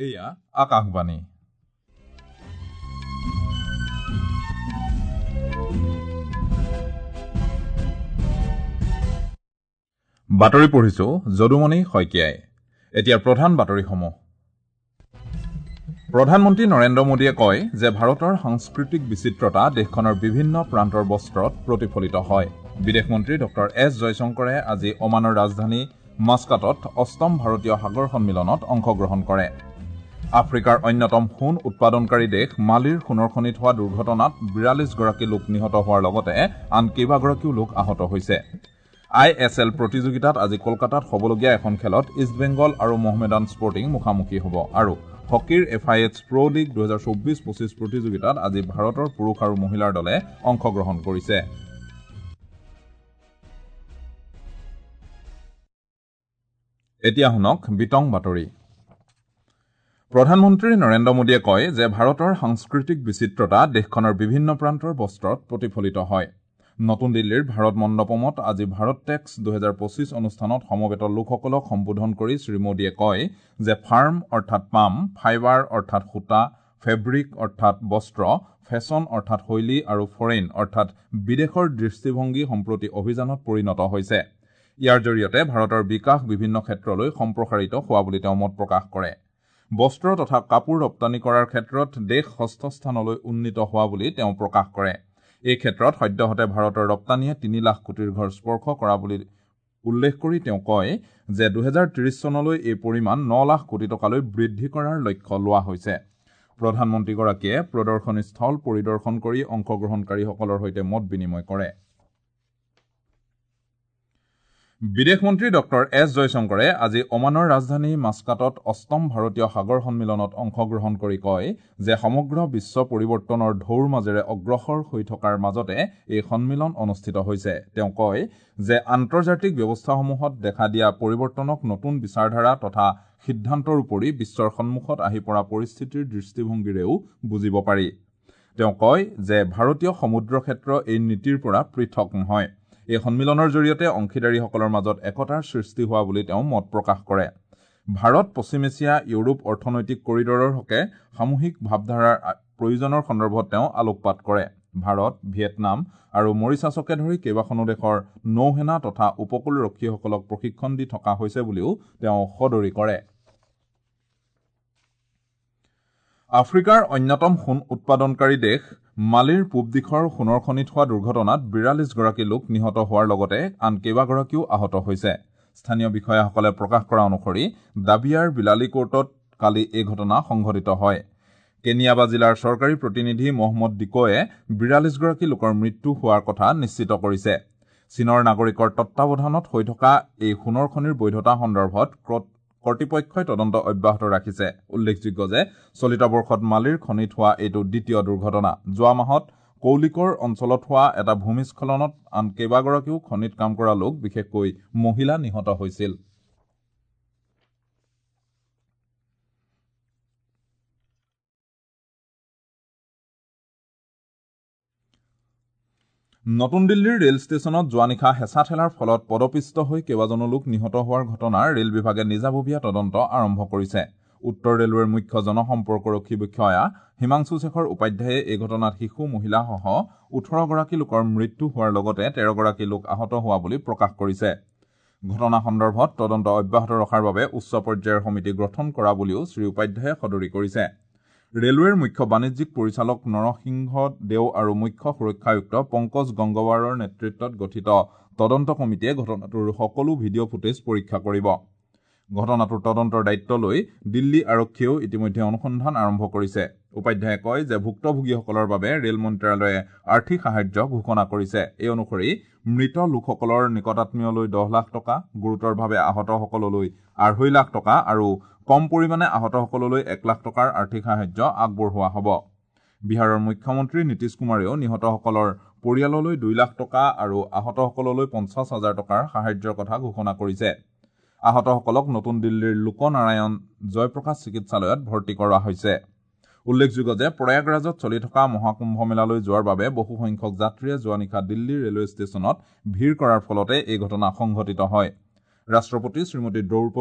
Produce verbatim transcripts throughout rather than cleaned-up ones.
এয়া আকাশবাণী। বাতৰি পঢ়িছো যদুমণি শইকীয়াই। এতিয়া প্ৰধান বাতৰিসমূহ। প্ৰধানমন্ত্ৰী নৰেন্দ্ৰ মোদীয়ে কয় যে ভাৰতৰ সাংস্কৃতিক বিচিত্ৰতা দেশখনৰ বিভিন্ন প্ৰান্তৰ বস্ত্ৰত প্ৰতিফলিত হয়। বিদেশ মন্ত্ৰী ডক্টৰ এছ জয়শংকৰে আজি ওমানৰ ৰাজধানী মাস্কাটত অষ্টম ভাৰতীয় সাগৰ সন্মিলনত অংশগ্ৰহণ কৰে। আফ্ৰিকাৰ অন্যতম সোণ উৎপাদনকাৰী দেশ মালিৰ সোণৰ খনিত হোৱা দুৰ্ঘটনাত বিৰাল্লিছগৰাকী লোক নিহত হোৱাৰ লগতে আন কেইবাগৰাকীও লোক আহত হৈছে। I S L প্ৰতিযোগিতাত আজি কলকাতাত হ'বলগীয়া এখন খেলত ইষ্ট বেংগল আৰু মহমেডান স্পৰ্টিং মুখামুখি হ'ব। আৰু হকীৰ F I H pro league দুহেজাৰ চৌব্বিছ পঁচিছ প্ৰতিযোগিতাত আজি ভাৰতৰ পুৰুষ আৰু মহিলাৰ দলে অংশগ্ৰহণ কৰিছে। এতিয়া শুনক বিতং বাতৰি। প্ৰধানমন্ত্ৰী নৰেন্দ্ৰ মোদীয়ে কয় যে ভাৰতৰ সাংস্কৃতিক বিচিত্ৰতা দেশখনৰ বিভিন্ন প্ৰান্তৰ বস্ত্ৰত প্ৰতিফলিত হয়। নতুন দিল্লীৰ ভাৰত মণ্ডপমত আজি ভাৰত টেক্স দুহেজাৰ পঁচিছ অনুষ্ঠানত সমবেত লোকসকলক সম্বোধন কৰি শ্ৰীমোদীয়ে কয় যে ফাৰ্ম অৰ্থাৎ পাম, ফাইবাৰ অৰ্থাৎ সূতা, ফেব্ৰিক অৰ্থাৎ বস্ত্ৰ, ফেশ্বন অৰ্থাৎ শৈলী আৰু ফৰেইন অৰ্থাৎ বিদেশৰ দৃষ্টিভংগী সম্প্ৰতি অভিযানত পৰিণত হৈছে। ইয়াৰ জৰিয়তে ভাৰতৰ বিকাশ বিভিন্ন ক্ষেত্ৰলৈ সম্প্ৰসাৰিত হোৱা বুলি তেওঁ মত প্ৰকাশ কৰে। বস্ত্ৰ তথা কাপোৰ ৰপ্তানি কৰাৰ ক্ষেত্ৰত দেশ ষষ্ঠ স্থানলৈ উন্নীত হোৱা বুলি তেওঁ প্ৰকাশ কৰে। এই ক্ষেত্ৰত সদ্যহতে ভাৰতৰ ৰপ্তানিয়ে তিনি লাখ কোটিৰ ঘৰ স্পৰ্শ কৰা বুলি উল্লেখ কৰি তেওঁ কয় যে দুহেজাৰ ত্ৰিশ চনলৈ এই পৰিমাণ ন লাখ কোটি টকালৈ বৃদ্ধি কৰাৰ লক্ষ্য লোৱা হৈছে। প্ৰধানমন্ত্ৰীগৰাকীয়ে প্ৰদৰ্শনী স্থল পৰিদৰ্শন কৰি অংশগ্ৰহণকাৰীসকলৰ সৈতে মত বিনিময় কৰে। বিদেশ মন্ত্ৰী ডক্টৰ এছ জয়শংকৰে আজি ওমানৰ ৰাজধানী মাস্কাটত অষ্টম ভাৰতীয় সাগৰ সন্মিলনত অংশগ্ৰহণ কৰি কয় যে সমগ্ৰ বিশ্ব পৰিৱৰ্তনৰ ঢৌৰ মাজেৰে অগ্ৰসৰ হৈ থকাৰ মাজতে এই সন্মিলন অনুষ্ঠিত হৈছে। তেওঁ কয় যে আন্তৰ্জাতিক ব্যৱস্থাসমূহত দেখা দিয়া পৰিৱৰ্তনক নতুন বিচাৰধাৰা তথা সিদ্ধান্তৰ উপৰি বিশ্বৰ সন্মুখত আহি পৰা পৰিস্থিতিৰ দৃষ্টিভংগীৰেও বুজিব পাৰি। তেওঁ কয় যে ভাৰতীয় সমুদ্ৰ ক্ষেত্ৰ এই নীতিৰ পৰা পৃথক নহয়। এই সন্মিলনৰ জৰিয়তে অংশীদাৰীসকলৰ মাজত একতাৰ সৃষ্টি হোৱা বুলি তেওঁ মত প্ৰকাশ কৰে। ভাৰত পশ্চিম এছিয়া ইউৰোপ অৰ্থনৈতিক কৰিডৰৰ হকে সামূহিক ভাৱধাৰাৰ প্ৰয়োজনৰ সন্দৰ্ভত তেওঁ আলোকপাত কৰে। ভাৰত, ভিয়েটনাম আৰু মৰিচাছকে ধৰি কেইবাখনো দেশৰ নৌসেনা তথা উপকূলৰক্ষীসকলক প্ৰশিক্ষণ দি থকা হৈছে বুলিও তেওঁ সদৰি কৰে। আফ্ৰিকাৰ অন্যতম সোণ উৎপাদনকাৰী দেশ মালিৰ পূব দিশৰ সোণৰ খনিত হোৱা দুৰ্ঘটনাত বিৰাল্লিছগৰাকী লোক নিহত হোৱাৰ লগতে আন কেইবাগৰাকীও আহত হৈছে। স্থানীয় বিষয়াসকলে প্ৰকাশ কৰা অনুসৰি দাবিয়াৰ বিলালি কোৰ্টত কালি এই ঘটনা সংঘটিত হয়। কেনিয়াবা জিলাৰ চৰকাৰী প্ৰতিনিধি মহম্মদ ডিকোৱে বিৰাল্লিছগৰাকী লোকৰ মৃত্যু হোৱাৰ কথা নিশ্চিত কৰিছে। চীনৰ নাগৰিকৰ তত্বাৱধানত হৈ থকা এই সোণৰ খনিৰ বৈধতা সন্দৰ্ভত কৰ্তৃপক্ষই তদন্ত অব্যাহত ৰাখিছে। উল্লেখযোগ্য যে চলিত বৰ্ষত মালিৰ খনিত হোৱা এইটো দ্বিতীয় দুৰ্ঘটনা। যোৱা মাহত কৌলিকৰ অঞ্চলত হোৱা এটা ভূমিস্খলনত আন কেইবাগৰাকীও খনিত কাম কৰা লোক, বিশেষকৈ মহিলা নিহত হৈছিল। নতুন দিল্লীৰ ৰেল ষ্টেচনত যোৱা নিশা হেঁচা ঠেলাৰ ফলত পদপিষ্ট হৈ কেইবাজনো লোক নিহত হোৱাৰ ঘটনাৰ ৰেল বিভাগে নিজাববীয়া তদন্ত আৰম্ভ কৰিছে। উত্তৰ ৰেলৱেৰ মুখ্য জনসম্পৰ্কৰক্ষী বিষয়া হিমাংশু শেখৰ উপাধ্যায়ে এই ঘটনাত শিশু, মহিলাসহ ওঠৰগৰাকী লোকৰ মৃত্যু হোৱাৰ লগতে তেৰগৰাকী লোক আহত হোৱা বুলি প্ৰকাশ কৰিছে। ঘটনা সন্দৰ্ভত তদন্ত অব্যাহত ৰখাৰ বাবে উচ্চ পৰ্যায়ৰ সমিতি গঠন কৰা বুলিও শ্ৰী উপাধ্যায়ে সদৰি কৰিছে। ৰেলৱেৰ মুখ্য বাণিজ্যিক পৰিচালক নৰসিংহ দেও আৰু মুখ্য সুৰক্ষা আয়ুক্ত পংকজ গংগৱাৰৰ নেতৃত্বত গঠিত তদন্ত কমিটিয়ে ঘটনাটোৰ সকলো ভিডিঅ' ফুটেজ পৰীক্ষা কৰিব। ঘটনাটোৰ তদন্তৰ দায়িত্ব লৈ দিল্লী আৰক্ষীয়েও ইতিমধ্যে অনুসন্ধান আৰম্ভ কৰিছে। উপাধ্যায়ে কয় যে ভুক্তভোগীসকলৰ বাবে ৰেল মন্ত্ৰালয়ে আৰ্থিক সাহায্য ঘোষণা কৰিছে। এই অনুসৰি মৃত লোকসকলৰ নিকটাত্মীয়লৈ দহ লাখ টকা, গুৰুতৰভাৱে আহতসকললৈ আঢ়ৈ লাখ টকা আৰু কম পৰিমাণে আহতসকললৈ এক লাখ টকাৰ আৰ্থিক সাহায্য আগবঢ়োৱা হ'ব। বিহাৰৰ মুখ্যমন্ত্ৰী নীতিশ কুমাৰেও নিহতসকলৰ পৰিয়াললৈ দুই লাখ টকা আৰু আহতসকললৈ পঞ্চাছ হাজাৰ টকাৰ সাহায্যৰ কথা ঘোষণা কৰিছে। আহতসকলক নতুন দিল্লীৰ লোকনাৰায়ণ জয়প্ৰকাশ চিকিৎসালয়ত ভৰ্তি কৰা হৈছে। উল্লেখযোগ্য যে প্ৰয়াগৰাজত চলি থকা মহাকুম্ভ মেলালৈ যোৱাৰ বাবে বহুসংখ্যক যাত্ৰীয়ে যোৱা নিশা দিল্লী ৰেলৱে ষ্টেচনত ভিৰ কৰাৰ ফলতে এই ঘটনা সংঘটিত হয়। ৰাষ্ট্ৰপতি শ্ৰীমতী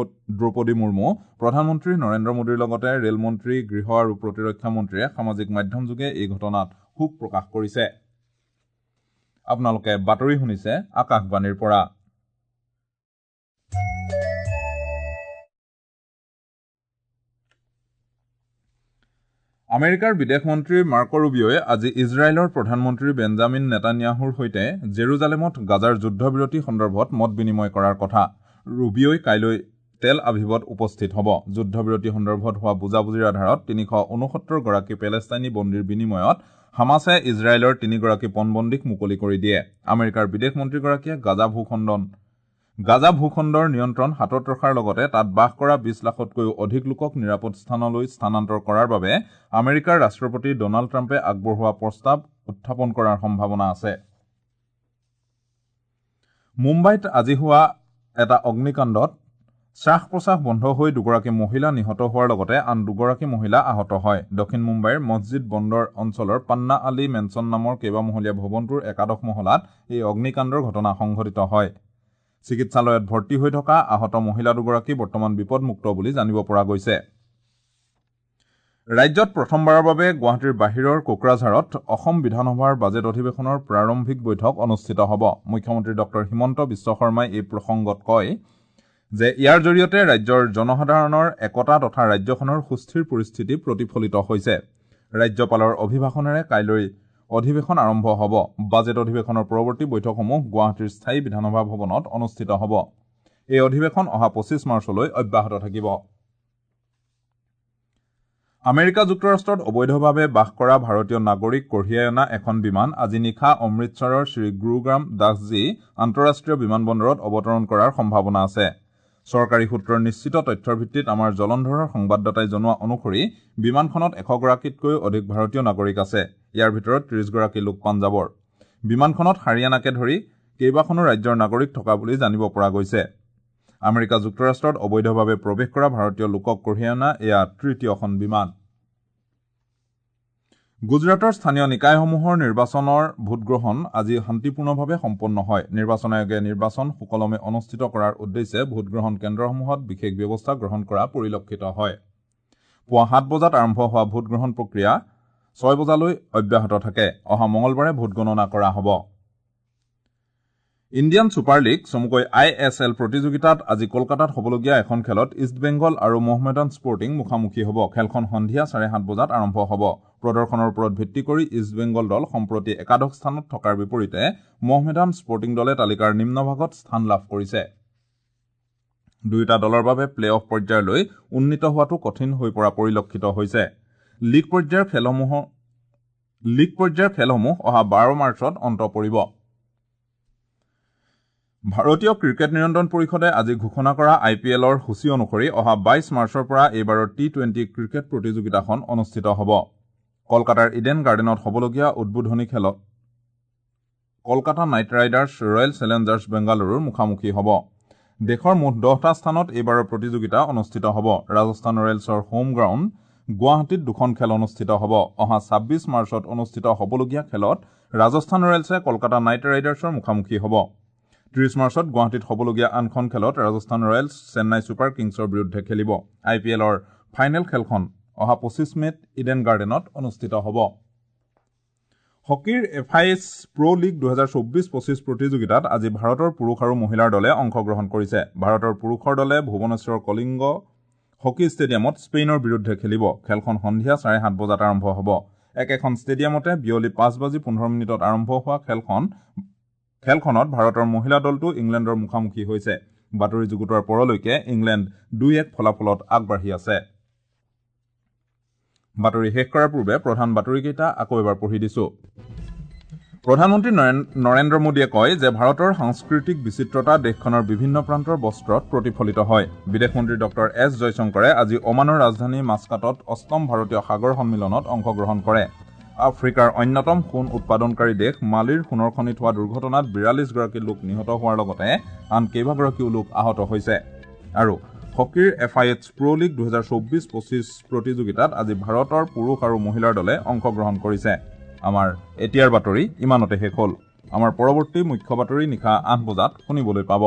দ্ৰৌপদী মুৰ্মু, প্ৰধানমন্ত্ৰী নৰেন্দ্ৰ মোদীৰ লগতে ৰেলমন্ত্ৰী, গৃহ আৰু প্ৰতিৰক্ষা মন্ত্ৰীয়ে সামাজিক মাধ্যমযোগে এই ঘটনাত শোক প্ৰকাশ কৰিছে। আপোনালোকে বাতৰি শুনিছে আকাশবাণীৰ পৰা। আমেৰিকাৰ বিদেশ মন্ত্ৰী মাৰ্ক ৰুবিঅ'ই আজি ইজৰাইলৰ প্ৰধানমন্ত্ৰী বেঞ্জামিন নেতানিয়াহুৰ সৈতে জেৰুজালেমত গাজাৰ যুদ্ধবিৰতি সন্দৰ্ভত মত বিনিময় কৰাৰ কথা। ৰুবিঅ'ই কাইলৈ তেল আভিভত উপস্থিত হ'ব। যুদ্ধবিৰতি সন্দৰ্ভত হোৱা বুজাবুজিৰ আধাৰত তিনিশ ঊনসত্তৰ গৰাকী পেলেষ্টাইনী বন্দীৰ বিনিময়ত হামাছে ইজৰাইলৰ তিনিগৰাকী পণবন্দীক মুকলি কৰি দিয়ে। আমেৰিকাৰ বিদেশ মন্ত্ৰীগৰাকীয়ে গাজা ভূখণ্ডন গাজা ভূখণ্ডৰ নিয়ন্ত্ৰণ হাতত ৰখাৰ লগতে তাত বাস কৰা বিশ লাখতকৈও অধিক লোকক নিৰাপদ স্থানলৈ স্থানান্তৰ কৰাৰ বাবে আমেৰিকাৰ ৰাষ্ট্ৰপতি ডনাল্ড ট্ৰাম্পে আগবঢ়োৱা প্ৰস্তাৱ উত্থাপন কৰাৰ সম্ভাৱনা আছে। মুম্বাইত আজি হোৱা এটা অগ্নিকাণ্ডত শ্বাস প্ৰশ্বাস বন্ধ হৈ দুগৰাকী মহিলা নিহত হোৱাৰ লগতে আন দুগৰাকী মহিলা আহত হয়। দক্ষিণ মুম্বাইৰ মছজিদ বন্দৰ অঞ্চলৰ পান্না আলী মেনচন নামৰ কেইবামহলীয়া ভৱনটোৰ একাদশ মহলাত এই অগ্নিকাণ্ডৰ ঘটনা সংঘটিত হয়। চিকিৎসালয়ত ভৰ্তি হৈ থকা আহত মহিলা দুগৰাকী বৰ্তমান বিপদমুক্ত বুলি জানিব পৰা গৈছে। ৰাজ্যত প্ৰথমবাৰৰ বাবে গুৱাহাটীৰ বাহিৰৰ কোকৰাঝাৰত অসম বিধানসভাৰ বাজেট অধিৱেশনৰ প্ৰাৰম্ভিক বৈঠক অনুষ্ঠিত হ'ব। মুখ্যমন্ত্ৰী ডক্টৰ হিমন্ত বিশ্ব শৰ্মাই এই প্ৰসংগত কয় যে ইয়াৰ জৰিয়তে ৰাজ্যৰ জনসাধাৰণৰ একতা তথা ৰাজ্যখনৰ সুস্থিৰ পৰিস্থিতি প্ৰতিফলিত হৈছে। ৰাজ্যপালৰ অভিভাষণেৰে কাইলৈ অধিৱেশন আৰম্ভ হ'ব। বাজেট অধিৱেশনৰ পৰৱৰ্তী বৈঠকসমূহ গুৱাহাটীৰ স্থায়ী বিধানসভা ভৱনত অনুষ্ঠিত হ'ব। এই অধিৱেশন অহা পঁচিছ মাৰ্চলৈ অব্যাহত থাকিব। আমেৰিকা যুক্তৰাষ্ট্ৰত অবৈধভাৱে বাস কৰা ভাৰতীয় নাগৰিক কঢ়িয়াই অনা এখন বিমান আজি নিশা অমৃতসৰৰ শ্ৰী গুৰুগ্ৰাম দাসজী আন্তঃৰাষ্ট্ৰীয় বিমানবন্দৰত অৱতৰণ কৰাৰ সম্ভাৱনা আছে। চৰকাৰী সূত্ৰৰ নিশ্চিত তথ্যৰ ভিত্তিত আমাৰ জলন্ধৰৰ সংবাদদাতাই জনোৱা অনুসৰি বিমানখনত এশগৰাকীতকৈ অধিক ভাৰতীয় নাগৰিক আছে। ইয়াৰ ভিতৰত ত্ৰিশগৰাকী লোক পাঞ্জাৱৰ। বিমানখনত হাৰিয়ানাকে ধৰি কেইবাখনো ৰাজ্যৰ নাগৰিক থকা বুলি জানিব পৰা গৈছে। আমেৰিকা যুক্তৰাষ্ট্ৰত অবৈধভাৱে প্ৰৱেশ কৰা ভাৰতীয় লোকক কঢ়িয়াই অনা এয়া তৃতীয়খন বিমান। গুজৰাটৰ স্থানীয় নিকায়সমূহৰ নিৰ্বাচনৰ ভোটগ্ৰহণ আজি শান্তিপূৰ্ণভাৱে সম্পন্ন হয়। নিৰ্বাচন আয়োগে নিৰ্বাচন সুকলমে অনুষ্ঠিত কৰাৰ উদ্দেশ্যে ভোটগ্ৰহণ কেন্দ্ৰসমূহত বিশেষ ব্যৱস্থা গ্ৰহণ কৰা পৰিলক্ষিত হয়। পুৱা সাত বজাত আৰম্ভ হোৱা ভোটগ্ৰহণ প্ৰক্ৰিয়া ছয় বজালৈ অব্যাহত থাকে। অহা মঙলবাৰে ভোটগণনা কৰা হ'ব। ইণ্ডিয়ান ছুপাৰ লীগ চমুকৈ I S L প্ৰতিযোগিতাত আজি কলকাতাত হ'বলগীয়া এখন খেলত ইষ্ট বেংগল আৰু মহমেডান স্পৰ্টিং মুখামুখি হ'ব। খেলখন সন্ধিয়া চাৰে সাত বজাত আৰম্ভ হ'ব। প্ৰদৰ্শনৰ ওপৰত ভিত্তি কৰি ইষ্ট বেংগল দল সম্প্ৰতি একাদশ স্থানত থকাৰ বিপৰীতে মহমেডান স্পৰ্টিং দলে তালিকাৰ নিম্নভাগত স্থান লাভ কৰিছে। দুয়োটা দলৰ বাবে প্লে অফ পৰ্যায়লৈ উন্নীত হোৱাটো কঠিন হৈ পৰা পৰিলক্ষিত হৈছে। লীগ পৰ্যায়ৰ খেলসমূহ লীগ পৰ্যায়ৰ খেলসমূহ অহা বাৰ মাৰ্চত অন্ত পৰিব। ভাৰতীয় ক্ৰিকেট নিয়ন্ত্ৰণ পৰিষদে আজি ঘোষণা কৰা আই পি এলৰ সূচী অনুসৰি অহা বাইছ মাৰ্চৰ পৰা এইবাৰৰ টি টুৱেণ্টি ক্ৰিকেট প্ৰতিযোগিতাখন অনুষ্ঠিত হ'ব। কলকাতাৰ ইডেন গাৰ্ডেনত হ'বলগীয়া উদ্বোধনী খেলত Kolkata Knight Riders Royal Challengers বেংগালুৰুৰ মুখামুখি হ'ব। দেশৰ মুঠ দহটা স্থানত এইবাৰৰ প্ৰতিযোগিতা অনুষ্ঠিত হ'ব। ৰাজস্থান ৰয়েলছৰ হোম গ্ৰাউণ্ড গুৱাহাটীত দুখন খেল অনুষ্ঠিত হ'ব। অহা ছাব্বিছ মাৰ্চত অনুষ্ঠিত হ'বলগীয়া খেলত ৰাজস্থান ৰয়েলছে কলকাতা নাইট ৰাইডাৰ্ছৰ মুখামুখি হ'ব। ত্ৰিশ মাৰ্চত গুৱাহাটীত হ'বলগীয়া আনখন খেলত ৰাজস্থান ৰয়েলছ চেন্নাই ছুপাৰ কিংছৰ বিৰুদ্ধে খেলিব। আই পি এলৰ ফাইনেল খেলখন অহা পঁচিছ মে'ত ইডেন গাৰ্ডেনত অনুষ্ঠিত হ'ব। হকীৰ F I H pro league দুহেজাৰ চৌব্বিছ পঁচিছ প্ৰতিযোগিতাত আজি ভাৰতৰ পুৰুষ আৰু মহিলাৰ দলে অংশগ্ৰহণ কৰিছে। ভাৰতৰ পুৰুষৰ দলে ভুৱনেশ্বৰ কলিংগ হকী ষ্টেডিয়ামত স্পেইনৰ বিৰুদ্ধে খেলিব। খেলখন সন্ধিয়া চাৰে সাত বজাত আৰম্ভ হ'ব। একেখন ষ্টেডিয়ামতে বিয়লি পাঁচ বাজি পোন্ধৰ মিনিটত আৰম্ভ হোৱা খেলখন খেলখনত ভাৰতৰ মহিলা দলটো ইংলেণ্ডৰ মুখামুখি হৈছে। বাতৰি যুগুতোৱাৰ পৰলৈকে ইংলেণ্ড দুই এক ফলাফলত আগবাঢ়ি আছে। বাতৰি শেষ কৰাৰ পূৰ্বে প্ৰধান বাতৰিকেইটা আকৌ এবাৰ পঢ়ি দিছো। প্ৰধানমন্ত্ৰী নৰেন্দ্ৰ মোদীয়ে কয় যে ভাৰতৰ সাংস্কৃতিক বিচিত্ৰতা দেশখনৰ বিভিন্ন প্ৰান্তৰ বস্ত্ৰত প্ৰতিফলিত হয়। বিদেশ মন্ত্ৰী ডক্টৰ এছ জয়শংকৰে আজি ওমানৰ ৰাজধানী মাস্কাটত অষ্টম ভাৰতীয় সাগৰ সন্মিলনত অংশগ্ৰহণ কৰে। আফ্ৰিকাৰ অন্যতম সোণ উৎপাদনকাৰী দেশ মালিৰ সোণৰ খনিত হোৱা দুৰ্ঘটনাত বিৰাল্লিছগৰাকী লোক নিহত হোৱাৰ লগতে আন কেইবাগৰাকীও লোক আহত হৈছে। আৰু হকীৰ F I H pro league দুহেজাৰ চৌব্বিছ পঁচিছ প্ৰতিযোগিতাত আজি ভাৰতৰ পুৰুষ আৰু মহিলাৰ দলে অংশগ্ৰহণ কৰিছে। আমাৰ এতিয়াৰ বাতৰি ইমানতে শেষ হ'ল। আমাৰ পৰৱৰ্তী মুখ্য বাতৰি নিশা আঠ বজাত শুনিবলৈ পাব।